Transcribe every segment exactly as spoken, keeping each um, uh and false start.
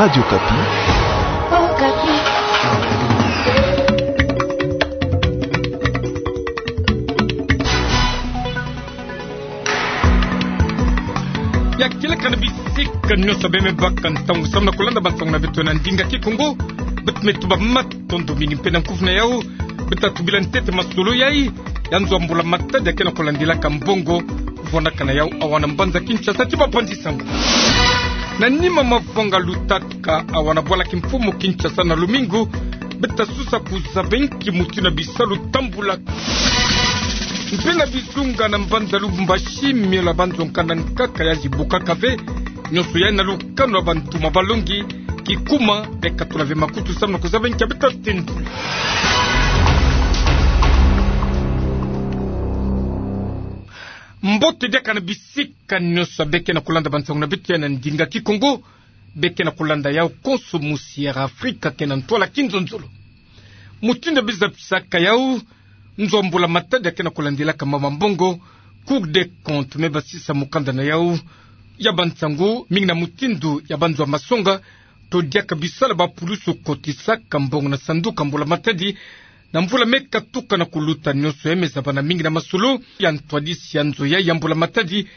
Radio Okapi. Okapi. Ya kieleka na bisika nyonso bê me baka ntangu samu na kulanda bansangu na beto na ndinga Kikongo. Beto me tuba matondo mingi mpe na nkufi na yau. Beto tubila ntete masolo yai ya nzo ya mbula matadi ya ke na kulandilaka mbongo, vandaka na yau awa na mbanza Kinshasa. Ti bapanzi sango. Na nima mavanga lutaka awa na bwala kimfumu Kinshasa na lumingu, beto susa kuzaba inki mutindu na bisalu tambulaka. Mpe na bizunga na mbanza Lubumbashi, miela banzo nkanda nkaka ya zibukaka ve, nyonso yai na lukanu ya bantu ma balongi, kikuma, beto katula ve makutu samu na kuzaba inki ya beto tendula. Mbote diaka na bisika nyonso bê ke na kulanda bansangu na beto ya na ndinga Kikongo, bê ke na kulanda yau konso musi ya Afrika ke na ntwala kinzonzolo. Mutindu bê zabisaka yau, nzo ya mbula matadi ya ke na kulandilaka mama mbongo, Cour des comptes me basisa mukanda na yau ya bansangu, mingi na mutindu ya banzo ya masonga, to diaka bisalu ba pulusu kotisaka mbongo na sanduku ya mbula matadi, na mvula me katuka na kuluta nyonso yai me zabana mingi na masolo ya ntwadisi ya nzo yai ya mbula matadi,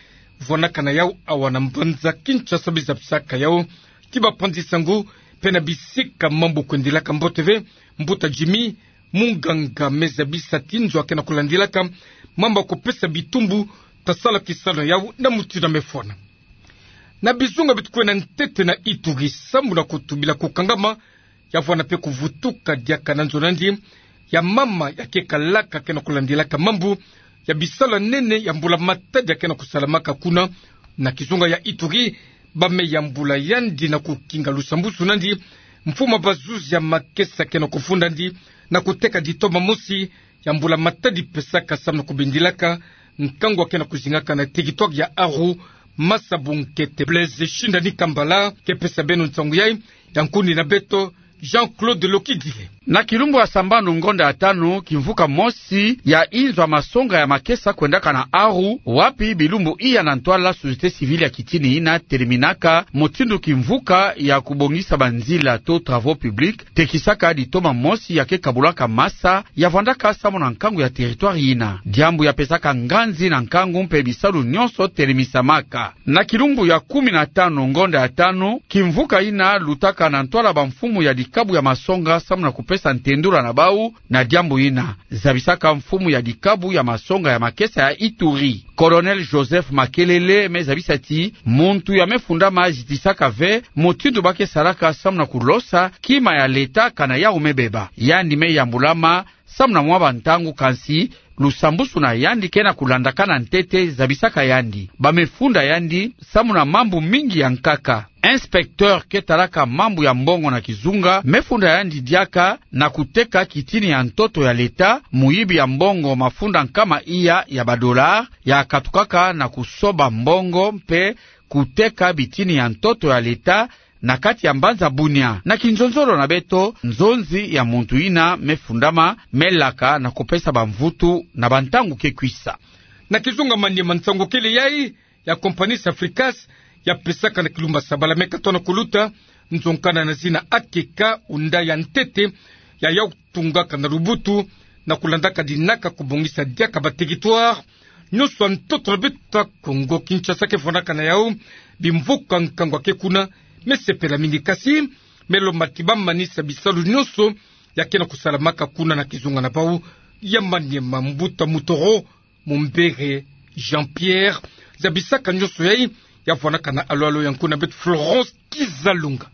vandaka na yau awa na mbanza Kinshasa. Bê zabisaka yau, ti bapanzi sango, mpe na bisika mambu kwendilaka mbote ve, mbuta Jimmy, munganga me zabisa ti nzo ya ke na kulandilaka mambu ya kupesa bitumbu, ta sala kisalu na yau na mutindu me fwana. Na bizunga beto kwenda ntete na Ituri samu na kutubila kukangama ya vwanda mpe kuvutuka diaka na nzo nandi ya mama ya ke kalaka ke na kulandilaka mambu ya bisalu ya nene ya mbula matadi ya ke na kusalamaka kuna. Na kizunga ya Ituri, ba me yambula yandi na kukinga lusambusu nandi mfumu ya bazuzi ya makesa ke na kufundandi na kuteka ditoma mosi ya mbula matadi pesaka samu na kubindilaka nkangu ya ke na kuzingaka na territoire ya Aru. Masa Bunkete Blaise Shindani Kambala ke pesa beno nsangu yai, ya nkundi na beto Jean-Claude Lokidile. Na kilumbu ya sambanu ngonda ya tanu, kimvuka mosi ya inzo ya masonga ya makesa kwendaka na Aru, wapi bilumbu iya na ntwala société civile ya kitini yina teleminaka mutindu kimvuka ya kubongisa banzila to travaux publics tekisaka ditoma mosi ya ke kabulaka masa ya vwandaka samu na nkangu ya territoire yina. Diambu ya pesaka nganzi na nkangu mpe bisalu nyonso telemisamaka. Na kilumbu ya kumi na tanu ngonda ya tanu, kimvuka yina lutaka na ntwala bamfumu ya dikabu ya masonga samu na kupesa ntendula na bau na diambu yina. Zabisaka mfumu ya dikabu ya masonga ya makesa ya Ituri, Colonel Joseph Makelele, me zabisa ti muntu ya me fundama zitisaka ve mutindu ba ke salaka samu na kulosa kima ya leta kana yau me beba. Yandi me yambulama samu na mwa bantangu, kansi lusambusu na yandi ke na kulandakana ntete, zabisaka yandi. Ba me funda yandi samu na mambu mingi ya nkaka. Inspecteur ke talaka mambu ya mbongo na kizunga me funda yandi diaka na kuteka kitini ya ntoto ya leta, muyibi ya mbongo mafuta nkama iya ya ba dollars ya katukaka na kusoba mbongo mpe kuteka bitini ya ntoto ya leta na kati ya mbanza Bunia. Na kinzonzolo na beto, nzonzi ya muntu yina me fundama, me laka na kupesa bamvutu na bantangu ke kwisa. Na kizunga, mani ma nsangu kele yai ya compagnie Safricas ya pesaka na kilumbu ya sabala me katono kuluta, nzo nkanda na zina A K K, unda ya ntete ya yau tungaka na lubutu na kulandaka dinaka kubongisa diaka ba territoire nyonso ya ntoto na beto Kongo Kinshasa ke fwanaka na yau. Bimvuka nkangu ya ke kuna me sepela mingi, kasi me lomba ti ba manisa bisalu nyonso ya ke na kusalamaka kuna na kizunga na bau ya Maniema. Mbuta Mutoro Mumbere Jean-Pierre zabisaka nyonso yai, ya fwanaka na alo-alo ya nkundi na beto Florence Kizalunga.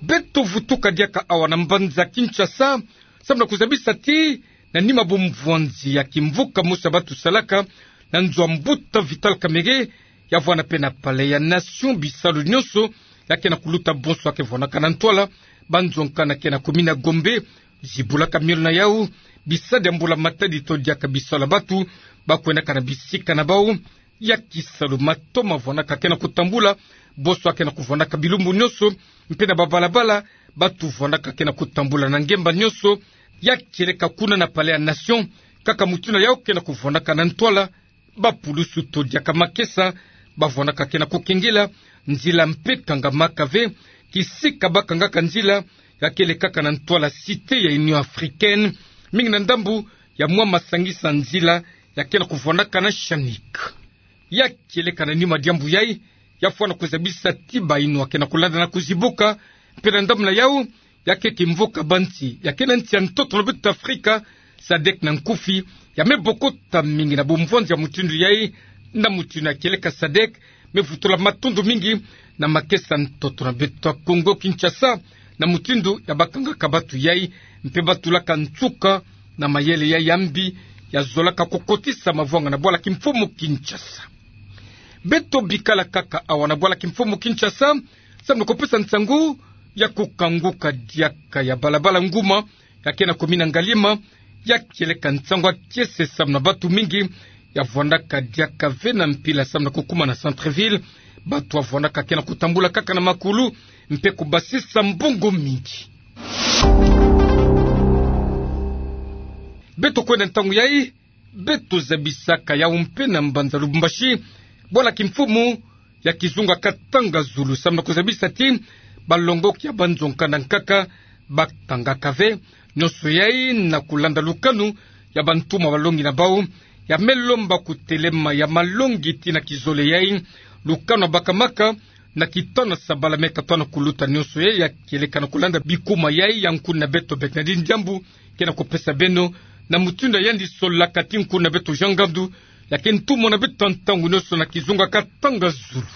Beto vutuka diaka awa na mbanza Kinshasa, samu na kuzabisa ti na nima bumvwanzi ya kimvuka mosi ya batu salaka na nzo ya mbuta Vital Kamerhe, ya vwanda mpe na Palais ya Nation, bisalu nyonso ya ke na kuluta bonso ya ke vwanaka na ntwala, banzo nkanda ke na commune ya Gombe zibulaka miolo na yau, bisadi ya mbula matadi to diaka bisalu ya batu ba kwendaka na bisika na bau ya kisalu. Mato ma vwanaka ke na kutambula, bonso ya ke na kuvwanaka bilumbu nyonso, mpe na babalabala batu vwanaka ke na kutambula na ngemba nyonso, ya kieleka kuna na Palais ya Nation, kaka mutindu na yau ke na kuvwanaka na ntwala, bapulusu to diaka makesa Bavwandaka ke na kukengela nzila mpe kangamaka ve kisika bakangaka nzila, ya kele kaka na ntwala Cité ya Union Africaine, mingi na ndambu ya mwa masangisa nzila ya ke na kuvwandaka na Chanik. Ya kieleka na nima diambu yai, ya fwana kuzabisa ti bainwa ke na kulanda na kuzibuka, mpe na ndambu na yau, ya ke kimvuka bansi ya ke na nsi ya ntoto na beto Afrika, sadek na nkufi, ya me bokota mingi na bumvwanzi ya mutindu yai, na mutindu ya kieleka sadek me vutula matondo mingi na makesa ntoto na beto ya Kongo Kinshasa, na mutindu ya bakangaka batu yai, mpe batulaka nsuka na mayele yai ya mbi, ya zolaka kukotisa mavwanga na bwala kimfumu Kinshasa. Beto bikala kaka awa na bwala kimfumu Kinshasa, samu na kupesa nsangu ya kukanguka diaka ya balabala nguma ya ke na kumina Ngaliema, ya kieleka nsangu ya kiese samu na batu mingi ya vwandaka diaka ve na mpila samu na kukuma na centre-ville. Batu ya vwandaka ke na kutambula kaka na makulu, mpe kubasisa mbongo mingi. Beto kwenda ntangu yai, beto zabisaka yau mpe na mbanza Lubumbashi, bwala kimfumu ya kizunga Katanga Zulu, samu na kuzabisa ti balongoki ya banzo nkanda nkaka bakangaka ve, nyonso yai na kulanda lukanu ya bantumwa balongi na bau, ya me lomba kutelema ya malongi ti na kizole yai, lukanu ya bakamaka na kitona sabala me katona kuluta. Nyonso yai ya kieleka na kulanda bikuma yai ya nkuna beto Bernardine Diambu ke na kupesa beno, na mutindu ya yandi solaka ti nkuna beto Jean Ngandu, ya ke ntumwa na beto ntangu nyonso na kizunga Katanga Zulu.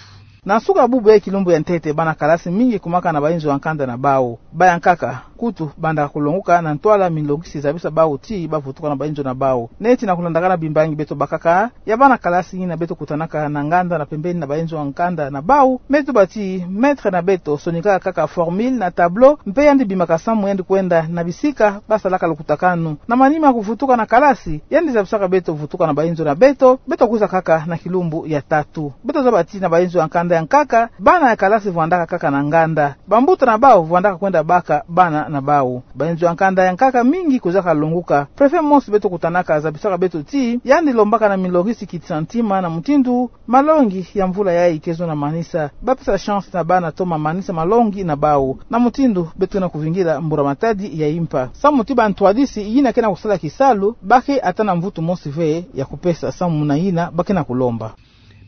Na nsuka bubu ya kilumbu ya ntete, bana kalasi mingi kumaka na bainzo ya nkanda na bau. Baya nkaka, kutu, banda kulonguka na ntwala milongisi zabisa bau ti bavutuka na bainzo na bau. Neti na kulandaka na bimbangi beto bakaka, ya bana kalasi yina beto kutanaka na nganda na pembeni na bainzo ya nkanda na bau, me tuba ti maître na beto sonikaka kaka formule na tableau, mpe yandi bimaka samu yandi kwenda na bisika basalaka lukutakanu. Na manima kuvutuka na kalasi, yandi zabisaka beto vutuka na bainzo na beto, beto kwiza kaka na kilumbu ya tatu. Beto zaba ti na bainzo ya nkanda ya nkaka, bana ya kalasi vwandaka kaka na nganda. Bambuta na bau vwandaka kwenda baka bana na bau. Bainzo ya nkanda ya nkaka mingi kwizaka longuka. Préfet mosi beto kutanaka zabisaka beto ti, yandi lombaka na milongisi kitisa ntima na mutindu malongi ya mvula yai ke zo na manisa. Bapesa chance na bana toma manisa malongi na bau. Na mutindu beto na kuvingila mbura matadi ya impa. Samu ti bantwadisi yina ke na kusala kisalu, ba ke ata na mvutu mosi ve ya kupesa samu na yina ba ke na kulomba.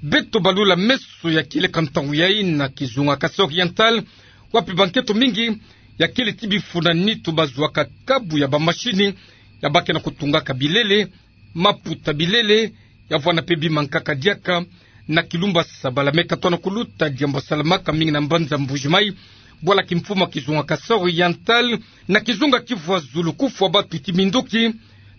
Beto balula meso ya kieleka ntangu yai na kizunga Kasaï Oriental, wapi bankento mingi ya kele ti bifuna nitu bazwaka kabu ya bamasini ya ba ke na kutungaka bilele, maputa bilele, ya vwanda mpe bima nkaka diaka, na kilumbu ya sabala me katona kuluta, diambu ya salamaka mingi na mbanza Mbuji-Mayi, bwala kimfumu ya kizunga Kasaï Oriental, na kizunga Kivu ya Zulu kufwa batu ti minduki,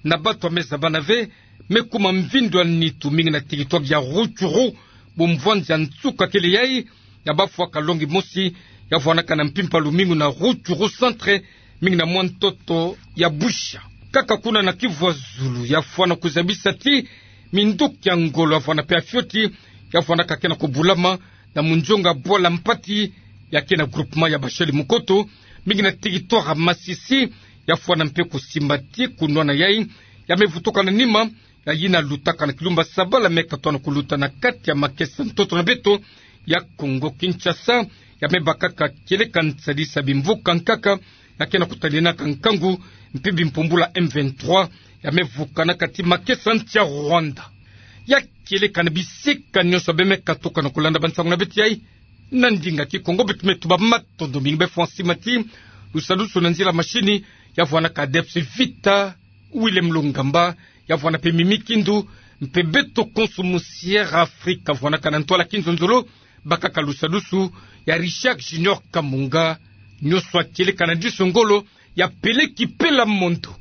na batu ya me zabana ve, me kuma mvindu ya nitu mingi na territoire ya Rutshuru, bumvwanzi ya nsuka kele yai, ya bafwa kalongi mosi ya vwanaka na mpimpa lumingu na Rutshuru centre, mingi na mwa ntoto ya Busha. Kaka kuna na Kivu ya Zulu, ya fwana kuzabisa ti minduki ya ngolo ya vwanda mpe ya fioti, ya vwandaka ke na kubulama na munzonga bwala Mpati, ya ke na groupement ya Bashali Mukoto, mingi na territoire ya Masisi, ya fwana mpe kusimba ti kunwana yai, ya me vutuka na nima ya yina lutaka na kilumbu ya sabala me katona kuluta na kati ya makesa ntoto na beto ya Kongo Kinshasa, ya me bakaka kieleka nsadisa bimvuka nkaka ya ke na kutaninaka nkangu, mpe bimpumbula M vingt-trois ya me vukanaka ti makesa nsi ya Rwanda. Ya kieleka na bisika nyonso ya be me katuka na kulanda bansangu na beto yai na ndinga Kikongo, beto me tuba matondo mingi. Be fwa sima ti lusadusu na nzila masini ya vwanaka Adepsi Vita Willem Lungamba, ya vwanda mpe Mimi Kindu, mpe beto konso mu Sierra Africa vwanaka na ntwala kinzonzolo, bakaka lusadusu ya Richard Junior Kamunga, nyonso ya kieleka na diso ngolo ya Pele Kipela Mondo.